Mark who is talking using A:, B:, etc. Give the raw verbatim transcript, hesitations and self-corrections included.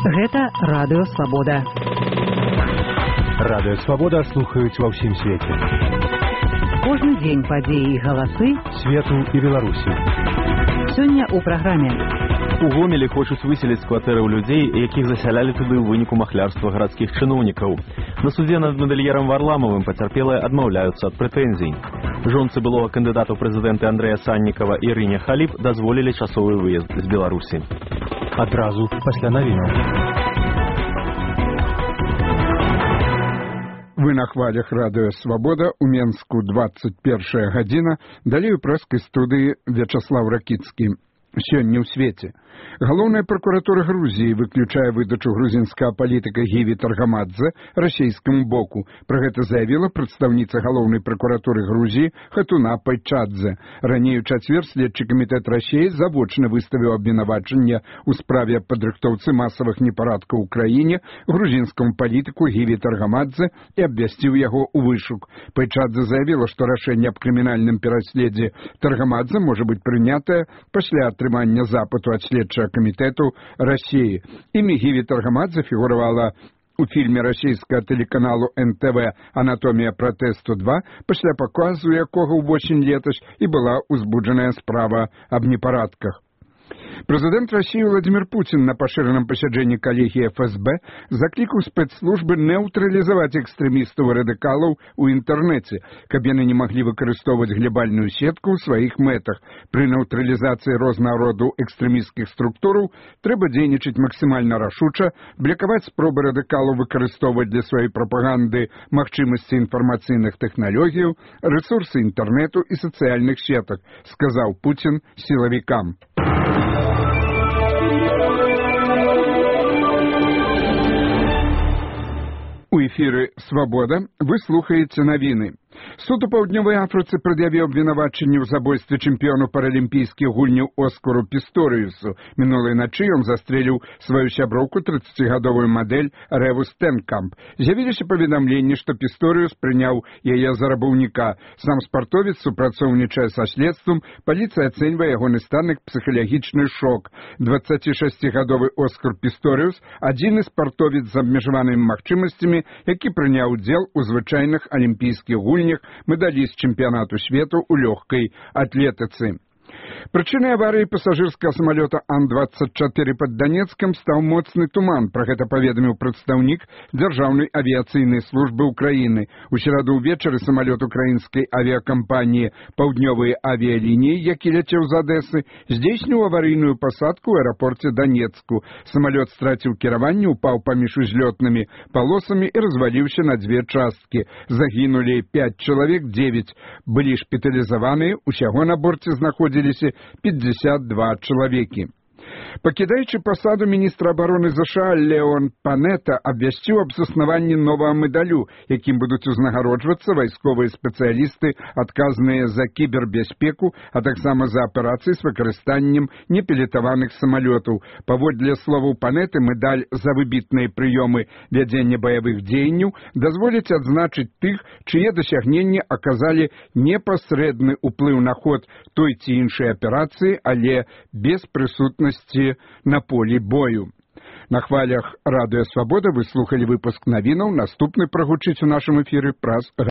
A: Гэта Радыё Свабода.
B: Радыё Свабода слухаюць ва ўсім свеце.
A: Кожны дзень падзеі і галасы
B: свету і Беларусі.
A: Сёння ў праграме.
C: У Гомелі хочуць выселіць з кватэраў людзей, якіх засялялі туды ў выніку махлярства гарадскіх чыноўнікаў. На судзе над мадэльерам Варламавым пацярпелыя адмаўляюцца ад прэтэнзій. Жонцы былога кандыдата ў прэзідэнты Андрэя Саннікава Ірыне Халіп дазволілі часовы выезд з Беларусі.
B: Адразу пасля навінаў.
D: Вы на хвалях Радыё Свабода, у Менску двадцать першая гадзіна, далей у прэскай студыі Вячаслав Ракіцкі. Сёння ў свеце. Галоўная пракуратура Грузіі выключае выдачу грузінскага палітыка Гіві Таргамадзе расійскаму боку. Пра гэта заявіла прадстаўніца галоўнай пракуратуры Грузіі Хатуна Пайчадзе. Раней у чацвер следчы камітэт Расіі завочна выставіў абвінавачанне ў справе падрыхтоўцы масавых непарадкаў у краіне грузінскаму палітыку Гіві Таргамадзе і абвясціў яго ў вышук. Пайчадзе заявіла, што рашэнне аб крымінальным пераследзе Таргамадзе можа быць прынятае пасля атрымання запыту ад следчага камітэту Расіі. Імя Гіві Таргамадзе фігуравала у фільме расійскага тэлеканалу эн тэ вэ «Анатомія пратэсту два», пасля паказу якога ўвосень летась і была ўзбуджаная справа аб непарадках. Прэзідэнт Расіі Владзімір Пуцін на пашыраным пасяджэнні калегіі эф эс бэ заклікаў спецслужбы нейтралізаваць экстрэмістаў і радыкалаў у інтэрнэце, каб яны не маглі выкарыстоўваць глебальную сетку ў сваіх мэтах. Пры нейтралізацыі рознага роду экстрэмісцкіх структураў трэба дзейнічаць максімальна рашуча, блакаваць спробы радыкалаў выкарыстоўваць для сваёй прапаганды магчымасці інфармацыйных тэхналогіяў, рэсурсы інтэрнэту і сацыяльных сетак, сказаў Пуцін сілавікам. У эфіры «Свабода» вы слухаеце навіны. Суд у Паўднёвай Афрыцы прад'явіў абвінавачанне ў забойстве чэмпіёну паралімпійскіх гульняў Оскару Пісторыюсу. Мінулай начы ён застрэліў сваю сяброўку трыццацігадовую мадэль Рэву Стэнкамп. З'явіліся паведамленні, што Пісторыюс прыняў яе за рабаўніка. Сам спартовец супрацоўнічае са следствам, паліцыя ацэньвае ягоны стан як псіхалагічны шок. дваццацішасцігадовы Оскар Пісторыюс – адзіны спартовец з абмежаванымі магчымасцямі, які прыняў удзел у звычайных алімпійскіх гульнях, медаліст чэмпіянату свету ў лёгкай атлетыцы. Прычынай аварыі пасажырскага самалёта Ан двадцать чатыры пад Данецкам стаў моцны туман. Пра гэта паведаміў прадстаўнік Дзяржаўнай авіяцыйнай службы ўкраіны. У сераду ўвечары самалёт украінскай авіякампаніі «Паўднёвыя авіялініі», які ляцеў з Адэсы, здзейсніў аварыйную пасадку ў аэрапорце Данецку. Самалёт страціў кіраванне, упаў паміж узлётнымі палосамі і разваліўся на дзве часткі. Загінулі пяць чалавек, дзевяць былі шпіталізаваныя, усяго на борце знаходзіліся пятьдесят два чалавекі. Пакідаючы пасаду міністра абароны ЗША Леон Панета абвясціў аб заснаванні новага медалю, якім будуць узнагароджвацца вайсковыя спецыялісты, адказныя за кібербяспеку, а таксама за аперацыі з выкарыстаннем непілатаваных самалётаў. Паводле словаў Панеты, медаль за выбітныя прыёмы вядзення баявых дзеянняў дазволіць адзначыць тых, чые дасягненні аказалі непасрэдны ўплыў на ход той ці іншай аперацыі, але без прысутнасці на полі бою. На хвалях Радыё Свабода вы слухалі выпуск навінаў. Наступны прагучыць у нашым эфіры праз